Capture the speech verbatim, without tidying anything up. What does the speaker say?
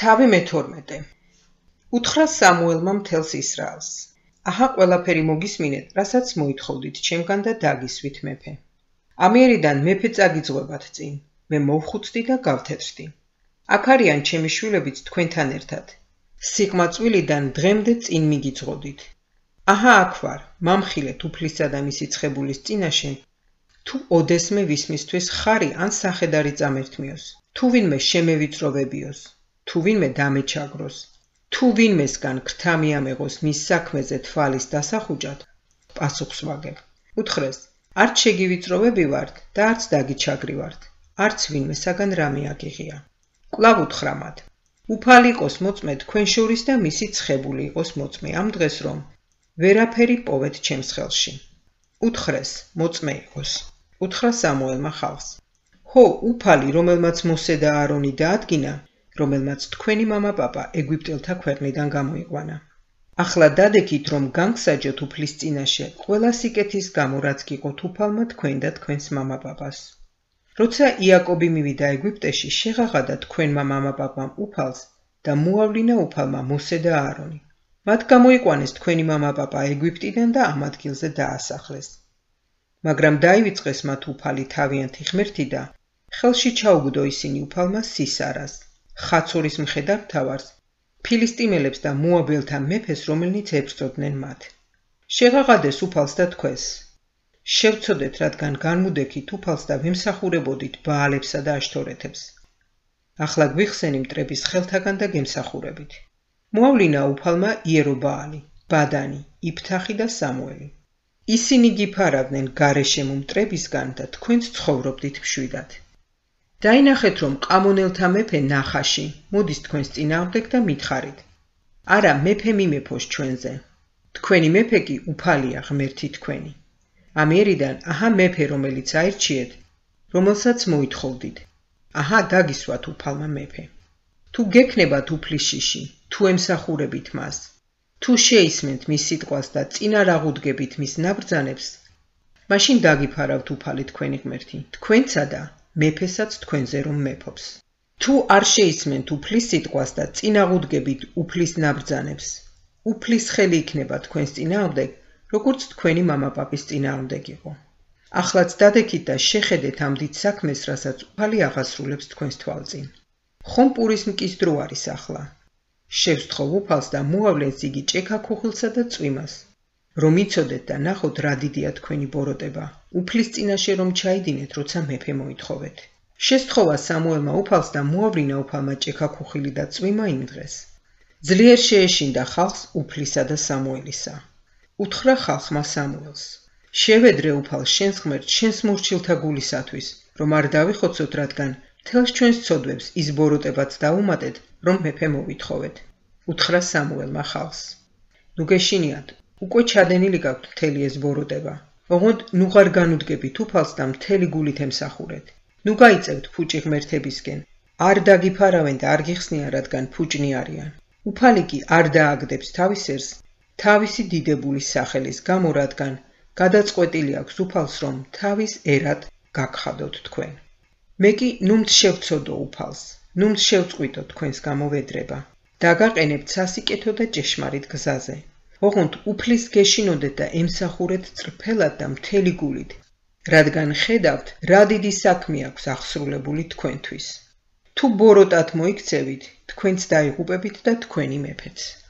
თავი მეთორმეტე. უთხრა სამუელმა მთელს ისრაელს. აჰა ყველაფერი მოგისმინეთ, რასაც მოითხოვდით ჩემგან და დაგისვით მეფე. ამიერიდან მეფე წაგიძღვებათ წინ, მე მოვხუცდი და გავთეთრდი. აქ არიან ჩემი შვილებიც თქვენთან ერთად. სიყმაწვილიდან დღემდე წინ მიგიძღოდით. აჰა აქ ვარ, მამხილეთ უფლისა და მისი ცხებულის წინაშე, თუ ოდესმე ვისმისთვის ხარი ან სახედარი წამერთმიოს, თუ ვინმე შემევიწროვებიოს, თუ ვინმე დამეჩაგროს, თუ ვინმესგან ქრთა მიამეღოს მის საქმეზე თვალის დასახუჯად, პასუხს ვაგებ. უთხრეს, არც შეგივიწროვებივართ და არც დაგიჩაგრივართ, არც ვინმესაგან რამე აგიღია. კვლავ უთხრა მათ, უფალი იყოს მოწმე თქვენ შორის და მისი ცხებული იყოს მოწმე ამ დღეს რომ ვერაფერი პოვეთ ჩემს ხელში. უთხრეს, მოწმე იყოს. უთხრა სამუელმა ხალხს. ჰო, უფალი, რომელმაც მოსე და აარონი დაადგინა, რომელმაც თქვენი მამა-პაპა ეგვიპტელთა ქვეყნიდან გამოიყვანა. ახლა დადექით, რომ განგსაჯოთ უფლის წინაშე ყველა სიკეთის გამო, რაც გიყოთ უფალმა თქვენ და თქვენს მამა-პაპას. როცა იაკობი მივიდა ეგვიპტეში, შეღაღადა თქვენმა მამა-პაპამ უფალს და მოავლინა უფალმა მოსე და აარონი. მათ გამოიყვანეს თქვენი მამა-პაპა ეგვიპტიდან და ამ ადგილზე დაასახლეს. მაგრამ დაივიწყეს მათ უფალი თავიანთი ღმერთი და ხელში ჩაუგდო ისინი უფალმა სისარას, ხაცორის მხედართმთავარს, ფილისტიმელებს და მოაბელთა მეფეს, რომელნიც ებრძოდნენ მათ. შეღაღადეს უფალს და თქვეს, შევცოდეთ, რადგან განმუდექით უფალს და ვემსახურებოდით ბაალებსა და აშთორეთებს. ახლა გვიხსენი მტრების ხელთაგან და გემსახურებით. მოავლინა უფალმა იერობაალი, ბადანი, იფთახი და სამუელი. ისინი გიფარავდნენ გარეშემო მტრებისგან და თქვენც ცხოვრობდით მშვიდად. დაინახეთ, რომ ყამონელთა მეფე ნახაში მოდის თქვენს წინააღმდეგ და მითხარით. არა, მეფე მიმეფოს ჩვენზე. თქვენი მეფე კი უფალია ღმერთი თქვენი. ამიერიდან აჰა მეფე, რომელიც აირჩიეთ, რომელსაც მოითხოვდით. აჰა დაგისვათ უფალმა მეფე. თუ გექნებათ უფლის შიში, თუ ემსახურებით მას, თუ შეისმენთ მის სიტყვას და წინ არ აღუდგებით მის ნაბრძანებს, მაშინ დაგიფარავთ უფალი თქვენი ღმერთი, თქვენცა და მეფესაც თქვენზე რომ მეფობს. თუ არ შეისმენთ უფლის სიტყვას და წინ აღუდგებით უფლის ნაბრძანებს, უფლის ხელი იქნება თქვენს წინააღმდეგ, როგორც თქვენი მამა-პაპის წინააღმდეგ იყო. ახლაც დადექით და შეხედეთ ამ დიდ საქმეს, რასაც უფალი აღასრულებს თქვენს თვალწინ. ხომ პურის მკის დრო არის ახლა. შევსთხოვ უფალს და მოავლენს იგი ჭექა ქუხილსა და წვიმას, რომ იცოდეთ და ნახოთ რა დიდია თქვენი ბოროტება, უფლის წინაშე რომ ჩაიდინეთ, როცა მეფე მოითხოვეთ. შესთხოვა სამუელმა უფალს და მოავლინა უფალმა ჭექა ქუხილი და წვიმა იმ დღეს. ძლიერ შეეშინდა ხალხს უფლისა და სამუელისა. უთხრა ხალხმა სამუელს, შევედრე უფალს შენს ღმერთს შენს მორჩილთა გულისათვის, რომ არ დავიხოცოთ, რადგან მთელს ჩვენს ცოდვებს ის ბოროტებაც დაუმატეთ, რომ მეფე მოვითხოვეთ. უთხრა სამუელმა ხალხს. ნუ გეშინიათ, უკვე ჩადენილი გაქვთ მთელი ეს ბოროტება. ოღონდ ნუ ღარ განუდგებით უფალს და მთელი გულით ემსახურეთ. ნუ გაიწევთ ფუჭი ღმერთებისკენ, არ დაგიფარავენ და არ გიხსნიან, რადგან ფუჭნი არიან. უფალი კი არ დააგდებს თავის ერს თავისი დიდებულის სახელის გამო, რადგან გადაწყვეტილი აქვს უფალს, რომ თავის ერად გაგხადოთ თქვენ. მე კი ნუმთ შევცოდო უფალს, ნუმთ შევწყვიტო თქვენს გამოვედრება, დაგაყენებთ სასიკეთო და ჭეშმარიტ გზაზე. ოღონდ უფლის გეშინოდეთ და ემსახურეთ წრფელად და მთელი გულით, რადგან ხედავთ, რა დიდი საქმე აქვს აღსრულებული თქვენთვის. თუ ბოროტად მოიქცევით, თქვენც დაიღუპებით და თქვენი მეფეც.